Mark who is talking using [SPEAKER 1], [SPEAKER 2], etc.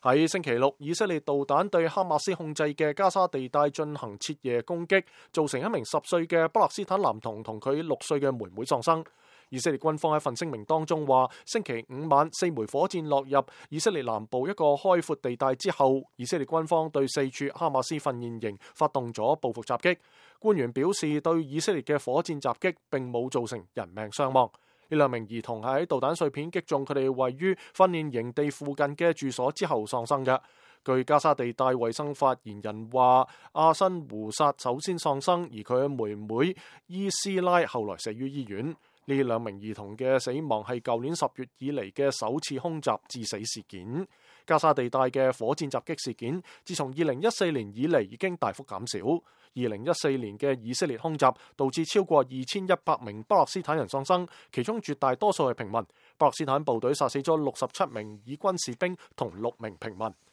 [SPEAKER 1] 喺星期六，以色列導彈對哈馬斯控制嘅加沙地帶進行徹夜攻擊，造成一名10歲嘅巴勒斯坦男童同佢6歲嘅妹妹喪生。以色列軍方喺份聲明當中話，星期五晚4枚火箭落入以色列南部一個開闊地帶之後，以色列軍方對4處哈馬斯訓練營發動咗報復襲擊。官員表示，對以色列嘅火箭襲擊並冇造成人命傷亡。呢2名兒童喺導彈碎片擊中佢哋位於訓練營地附近嘅住所之後喪生嘅。據加沙地帶衛生發言人話，阿辛胡薩首先喪生，而佢嘅妹妹伊斯拉後來死於醫院。呢2名兒童嘅死亡係舊年10月以嚟嘅首次空襲致死事件。加沙地帶嘅火箭襲擊事件，自從2014年以嚟已經大幅減少。2014年嘅以色列空襲導致超過2100名巴勒斯坦人喪生，其中絕大多數係平民。巴勒斯坦部隊殺死咗67名以軍士兵同6名平民。